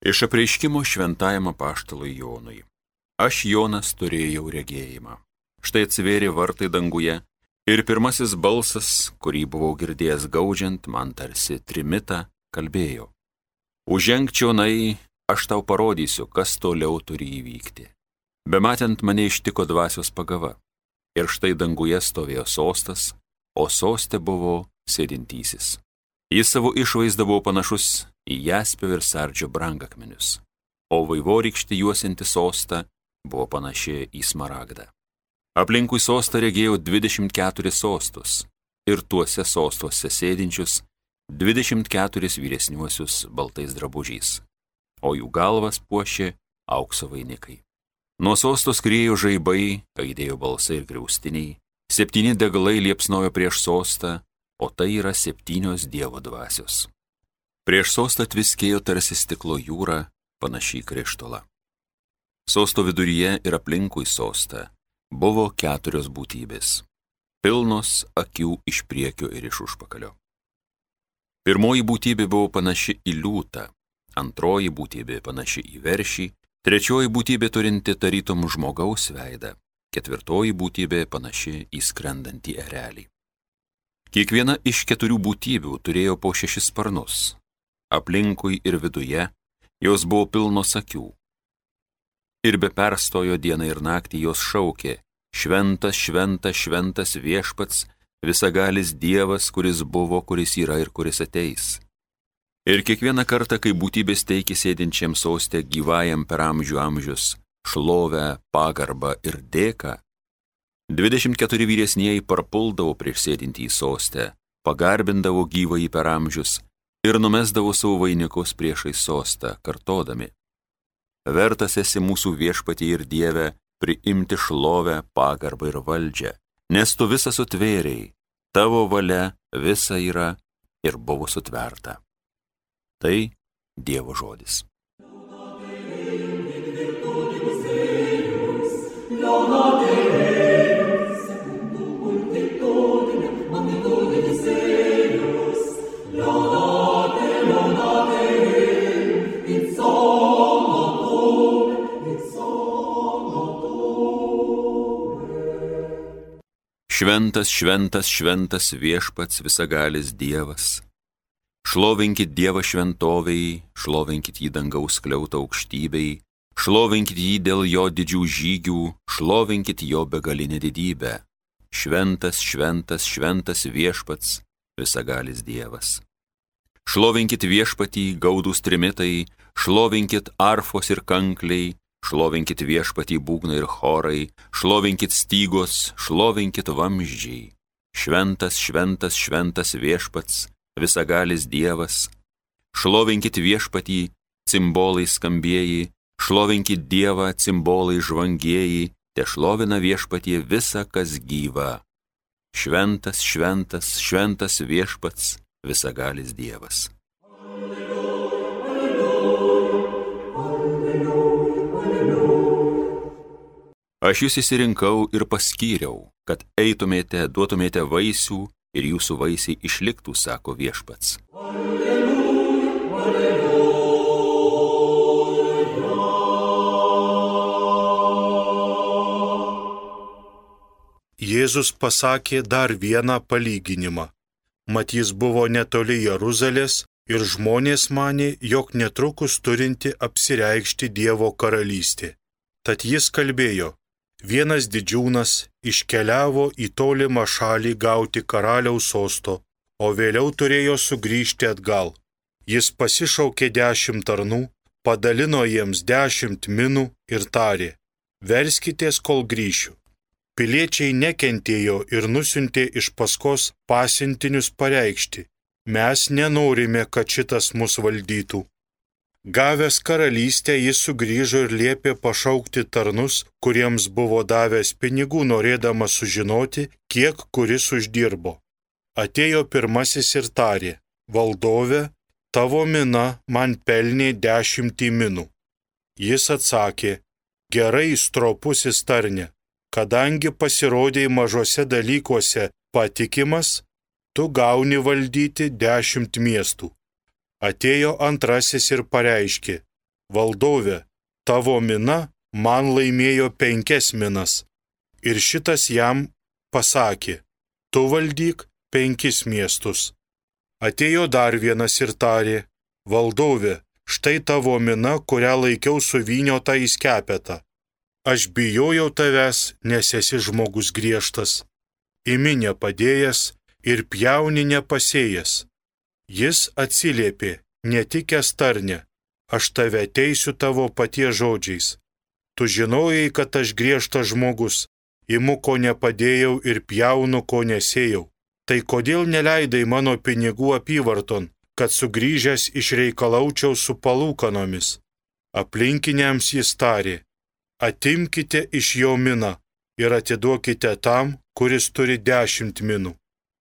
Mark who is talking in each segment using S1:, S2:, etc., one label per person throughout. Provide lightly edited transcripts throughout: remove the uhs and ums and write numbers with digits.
S1: Iš apreiškimo šventajam apaštalui Jonui. Aš, Jonas, turėjau regėjimą. Štai atsivėrė vartai danguje ir pirmasis balsas, kurį buvau girdėjęs gaudžiant, man tarsi trimitą, kalbėjo. Užženk čionai, aš tau parodysiu, kas toliau turi įvykti. Bematant mane ištiko dvasios pagava. Ir štai danguje stovėjo sostas, o soste buvo sėdintysis. Jis savo išvaizdą buvo panašus į jaspio ir sardžio brangakmenius, o vaivorykštė juosianti sostą buvo panaši į smaragdą. Aplinkui sostą regėjau 24 sostus ir tuose sostuose sėdinčius 24 vyresniuosius baltais drabužiais, o jų galvas puošė aukso vainikai. Nuo sostos skriejo žaibai, aidėjo balsai ir griaustiniai, 7 degalai liepsnojo prieš sostą, o tai yra 7 Dievo dvasios. Prieš sostą tviskėjo tarsi stiklo jūra, panašiai krištolą. Sosto viduryje ir aplinkui sostą buvo 4 būtybės, pilnos akių iš priekio ir iš užpakalio. Pirmoji būtybė buvo panaši į liūtą, antroji būtybė panaši į veršį, trečioji būtybė turinti tarytum žmogaus veidą, ketvirtoji būtybė panaši į skrendantį erelį. Kiekviena iš 4 būtybių turėjo po 6 sparnus. Aplinkui ir viduje jos buvo pilnos akių. Ir be perstojo dieną ir naktį jos šaukė: Šventas, šventas, šventas viešpats, visagalis Dievas, kuris buvo, kuris yra ir kuris ateis. Ir kiekvieną kartą, kai būtybės teikė sėdinčiam soste gyvajam per amžių amžius šlovę, pagarbą ir dėką, 24 vyresnieji parpuldavo prieš sėdintį į sostę, pagarbindavo gyvąjį per amžius ir numesdavo savo vainikus priešais sostą, kartodami: Vertas esi mūsų viešpatie ir Dieve priimti šlovę, pagarbą ir valdžią, nes tu visą sutvėrei, tavo valia visa yra ir buvo sutverta. Tai Dievo žodis. Šventas, šventas, šventas viešpats visagalis Dievas. Šlovinkit Dievą šventovei, šlovinkit jį dangaus skliautą aukštybei, šlovinkit jį dėl jo didžių žygių, šlovinkit jo begalinę didybę. Šventas, šventas, šventas viešpats visagalis Dievas. Šlovinkit viešpatį gaudūs trimitai, šlovinkit arfos ir kankliai, šlovinkit viešpatį būgnai ir chorai, šlovinkit stygos, šlovinkit vamzdžiai. Šventas, šventas, šventas viešpats, visagalis Dievas. Šlovinkit viešpatį, cimbolai skambieji, šlovinkit Dievą, cimbolai žvangieji, te šlovina viešpatie visa, kas gyva. Šventas, šventas, šventas viešpats, visagalis Dievas. Aš jūs išsirinkau ir paskyriau, kad eitumėte, duotumėte vaisių ir jūsų vaisiai išliktų, sako viešpats.
S2: Alleluja, alleluja. Jėzus pasakė dar vieną palyginimą. Mat jis buvo netoli Jeruzalės ir žmonės manė, jog netrukus turinti apsireikšti Dievo karalystė. Tad jis kalbėjo: Vienas didžiūnas iškeliavo į tolimą šalį gauti karaliaus sosto, o vėliau turėjo sugrįžti atgal. Jis pasišaukė 10 tarnų, padalino jiems 10 minų ir tarė: Verskitės, kol grįšiu. Piliečiai nekentėjo ir nusiuntė iš paskos pasiuntinius pareikšti: Mes nenorime, kad šitas mus valdytų. Gavęs karalystę, jis sugrįžo ir liepė pašaukti tarnus, kuriems buvo davęs pinigų, norėdamas sužinoti, kiek kuris uždirbo. Atėjo pirmasis ir tarė: Valdove, tavo mina man pelnė 10 minų. Jis atsakė: Gerai, stropusis tarne, kadangi pasirodėjai mažose dalykuose patikimas, tu gauni valdyti 10 miestų. Atėjo antrasis ir pareiškė: valdove, tavo mina man laimėjo 5 minas. Ir šitas jam pasakė, tu valdyk 5 miestus. Atėjo dar vienas ir tarė, valdove, štai tavo mina, kurią laikiau suvyniotą į skepetą. Aš bijojau tavęs, nes esi žmogus griežtas. Imi nepadėjęs ir pjauni nepasėjęs. Jis atsiliepė, netikęs tarne, aš tave teisiu tavo paties žodžiais. Tu žinojai, kad aš griežtas žmogus, imu ko nepadėjau ir pjaunu ko nesėjau. Tai kodėl neleidai mano pinigų apyvarton, kad sugrįžęs išreikalaučiau su palūkanomis? Aplinkiniams jis tarė, atimkite iš jo miną ir atiduokite tam, kuris turi 10 minų.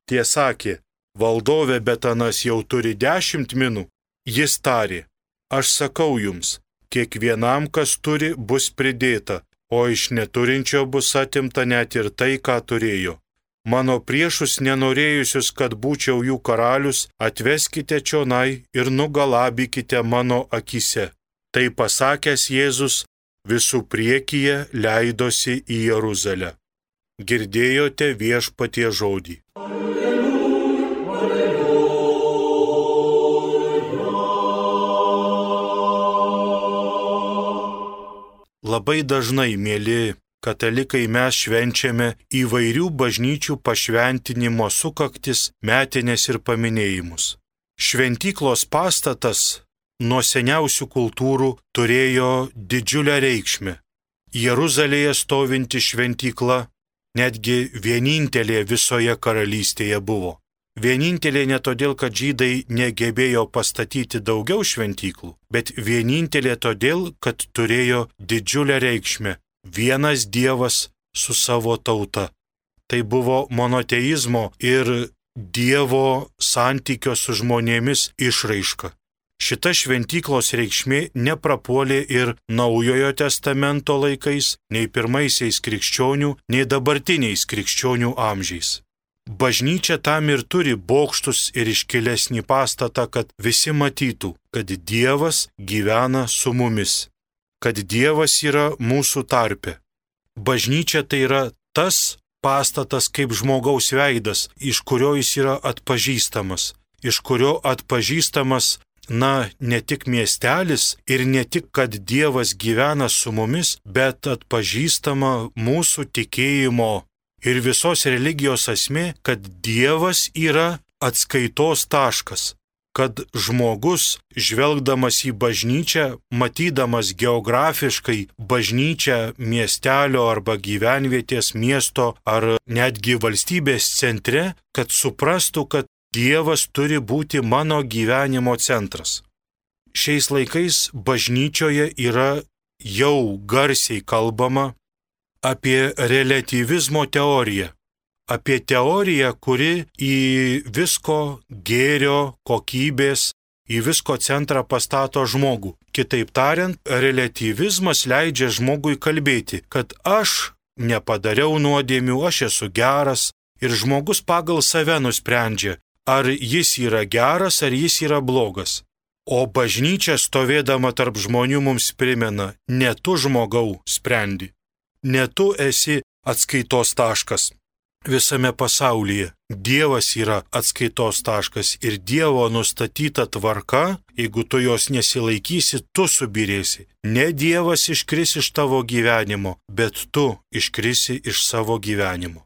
S2: Tie sakė, valdove, bet anas jau turi 10 minų. Jis tarė, aš sakau jums, kiekvienam, kas turi, bus pridėta, o iš neturinčio bus atimta net ir tai, ką turėjo. Mano priešus nenorėjusius, kad būčiau jų karalius, atveskite čionai ir nugalabykite mano akyse. Tai pasakęs Jėzus visų priekyje leidosi į Jeruzalę. Girdėjote viešpatie žodį. Labai dažnai, mėly katalikai, mes švenčiame įvairių bažnyčių pašventinimo sukaktis, metinės ir paminėjimus. Šventyklos pastatas nuo seniausių kultūrų turėjo didžiulę reikšmę. Jeruzalėje stovinti šventykla netgi vienintelė visoje karalystėje buvo. Vienintelė ne todėl, kad žydai negebėjo pastatyti daugiau šventyklų, bet vienintelė todėl, kad turėjo didžiulę reikšmę. Vienas Dievas su savo tauta. Tai buvo monoteizmo ir Dievo santykio su žmonėmis išraiška. Šita šventyklos reikšmė neprapuolė ir Naujojo testamento laikais, nei pirmaisiais krikščionių, nei dabartiniais krikščionių amžiais. Bažnyčia tam ir turi bokštus ir iškilesnį pastatą, kad visi matytų, kad Dievas gyvena su mumis, kad Dievas yra mūsų tarpe. Bažnyčia tai yra tas pastatas kaip žmogaus veidas, iš kurio jis yra atpažįstamas, iš kurio atpažįstamas, ne tik miestelis ir ne tik, kad Dievas gyvena su mumis, bet atpažįstama mūsų tikėjimo ir visos religijos esmė, kad Dievas yra atskaitos taškas, kad žmogus, žvelgdamas į bažnyčią, matydamas geografiškai bažnyčią miestelio arba gyvenvietės, miesto ar netgi valstybės centre, kad suprastų, kad Dievas turi būti mano gyvenimo centras. Šiais laikais bažnyčioje yra jau garsiai kalbama apie reliatyvizmo teoriją, apie teoriją, kuri į visko gėrio, kokybės, į visko centrą pastato žmogų. Kitaip tariant, reliatyvizmas leidžia žmogui kalbėti, kad aš nepadariau nuodėmių, aš esu geras ir žmogus pagal save nusprendžia, ar jis yra geras, ar jis yra blogas. O bažnyčia stovėdama tarp žmonių mums primena, ne tu žmogau sprendi. Ne tu esi atskaitos taškas visame pasaulyje. Dievas yra atskaitos taškas ir Dievo nustatyta tvarka, jeigu tu jos nesilaikysi, tu subirėsi. Ne Dievas iškris iš tavo gyvenimo, bet tu iškrisi iš savo gyvenimo.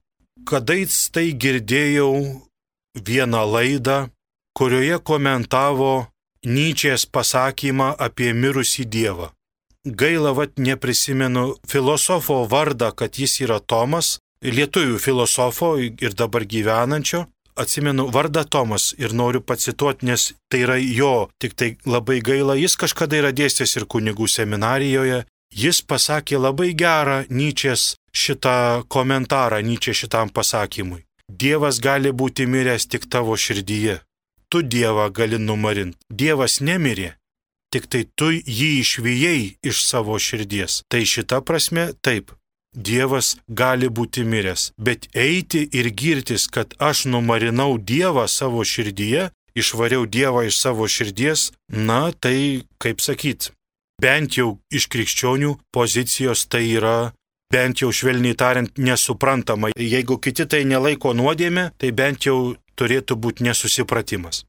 S2: Kadais tai girdėjau vieną laidą, kurioje komentavo Nyčės pasakymą apie mirusį Dievą. Gaila, neprisimenu filosofo vardą, kad jis yra Tomas, lietuvių filosofo ir dabar gyvenančio. Atsimenu vardą Tomas ir noriu pacituoti, nes tai yra jo, tik tai labai gaila, jis kažkada yra dėstęs ir kunigų seminarijoje. Jis pasakė labai gerą Nyčės šitą komentarą, Nyčė šitam pasakymui. Dievas gali būti miręs tik tavo širdyje. Tu Dievą gali numarinti. Dievas nemirė. Tik tai tu jį išvijai iš savo širdies. Tai šita prasme taip, Dievas gali būti miręs, bet eiti ir girtis, kad aš numarinau Dievą savo širdyje, išvariau Dievą iš savo širdies, tai, kaip sakyt, bent jau iš krikščionių pozicijos tai yra, bent jau švelniai tariant, nesuprantama. Jeigu kiti tai nelaiko nuodėmė, tai bent jau turėtų būti nesusipratimas.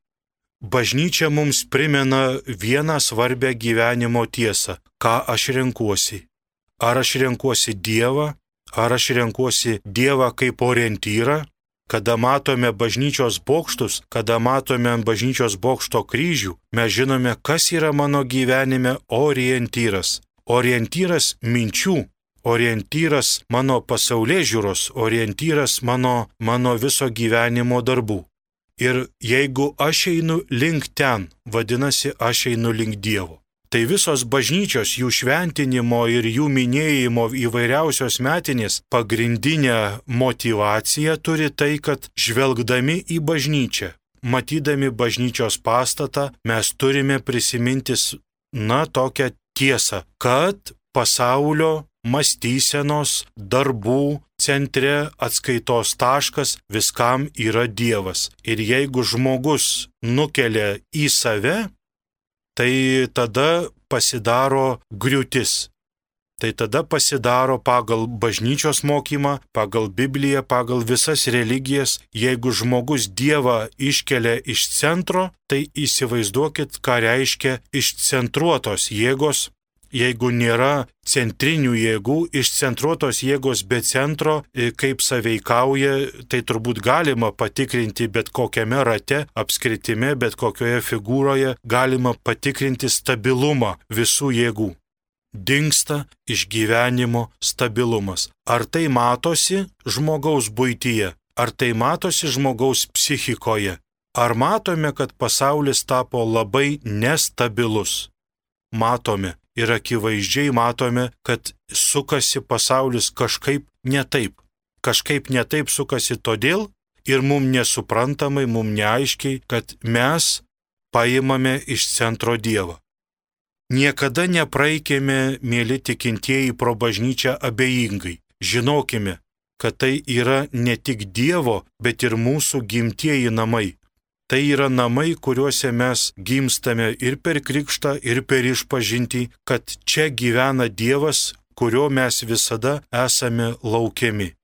S2: Bažnyčia mums primena vieną svarbę gyvenimo tiesą. Ką aš renkuosi? Ar aš renkuosi Dievą? Ar aš renkuosi Dievą kaip orientyrą? Kada matome bažnyčios bokštus, kada matome ant bažnyčios bokšto kryžių, mes žinome, kas yra mano gyvenime orientyras. Orientyras minčių, orientyras mano pasaulėžiūros, orientyras mano viso gyvenimo darbų. Ir jeigu aš einu link ten, vadinasi, aš einu link Dievo. Tai visos bažnyčios, jų šventinimo ir jų minėjimo įvairiausios metinės pagrindinė motyvacija turi tai, kad žvelgdami į bažnyčią, matydami bažnyčios pastatą, mes turime prisiminti, tokią tiesą, kad pasaulio mąstysenos, darbų centre atskaitos taškas viskam yra Dievas. Ir jeigu žmogus nukelia į save, tai tada pasidaro griūtis. Tai tada pasidaro pagal bažnyčios mokymą, pagal Bibliją, pagal visas religijas. Jeigu žmogus Dievą iškelia iš centro, tai įsivaizduokit, ką reiškia išcentruotos jėgos. Jeigu nėra centrinių jėgų, išcentruotos jėgos be centro, kaip saveikauja, tai turbūt galima patikrinti bet kokiame rate, apskritime, bet kokioje figūroje, galima patikrinti stabilumą visų jėgų. Dingsta iš gyvenimo stabilumas. Ar tai matosi žmogaus buityje? Ar tai matosi žmogaus psichikoje? Ar matome, kad pasaulis tapo labai nestabilus? Matome. Ir akivaizdžiai matome, kad sukasi pasaulis kažkaip netaip. Kažkaip netaip sukasi todėl ir mums nesuprantamai, mums neaiškiai, kad mes paimame iš centro Dievą. Niekada nepraeikime, mėly tikintieji, pro bažnyčią abejingai. Žinokime, kad tai yra ne tik Dievo, bet ir mūsų gimtieji namai. Tai yra namai, kuriuose mes gimstame ir per krikštą, ir per išpažintį, kad čia gyvena Dievas, kurio mes visada esame laukiami.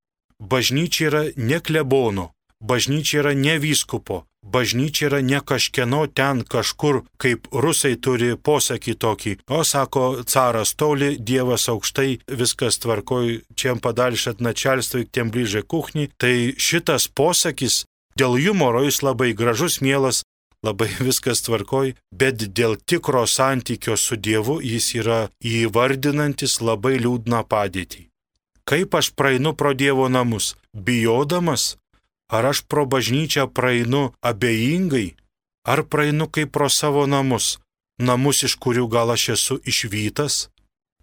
S2: Bažnyčia yra ne klebono, bažnyčia yra ne vyskupo, bažnyčia yra ne kažkieno ten kažkur, kaip rusai turi posakį tokį. O sako, caras toli, Dievas aukštai, viskas tvarkoj, čia padalšat načalstui, tiem bližai kuchni. Tai šitas posakis, dėl humoro jis labai gražus, mielas, labai viskas tvarkoj, bet dėl tikro santykio su Dievu jis yra įvardinantis labai liūdną padėtį. Kaip aš praeinu pro Dievo namus? Bijodamas? Ar aš pro bažnyčią praeinu abejingai? Ar praeinu kaip pro savo namus? Namus, iš kurių gal aš esu išvytas?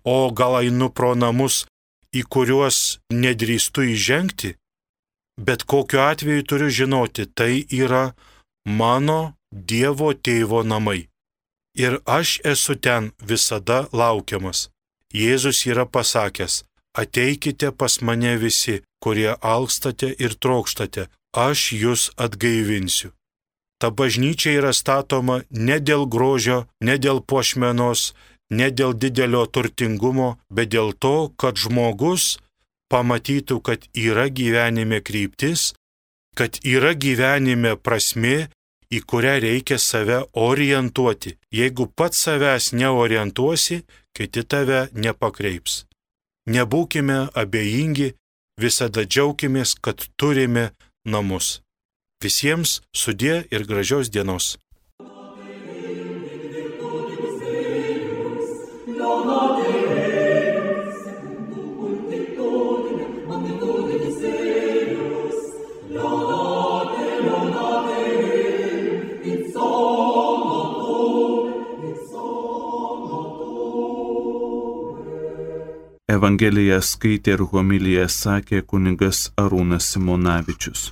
S2: O gal einu pro namus, į kuriuos nedrįstu įžengti? Bet kokiu atveju turiu žinoti, tai yra mano Dievo tėvo namai. Ir aš esu ten visada laukiamas. Jėzus yra pasakęs, ateikite pas mane visi, kurie alkstate ir trokštate, aš jūs atgaivinsiu. Ta bažnyčia yra statoma ne dėl grožio, ne dėl puošmenos, ne dėl didelio turtingumo, bet dėl to, kad žmogus pamatytų, kad yra gyvenime kryptis, kad yra gyvenime prasmė, į kurią reikia save orientuoti. Jeigu pats savęs neorientuosi, kiti tave nepakreips. Nebūkime abejingi, visada džiaukimės, kad turime namus. Visiems sudie ir gražios dienos.
S3: Evangeliją skaitė ir homiliją sakė kunigas Arūnas Simonavičius.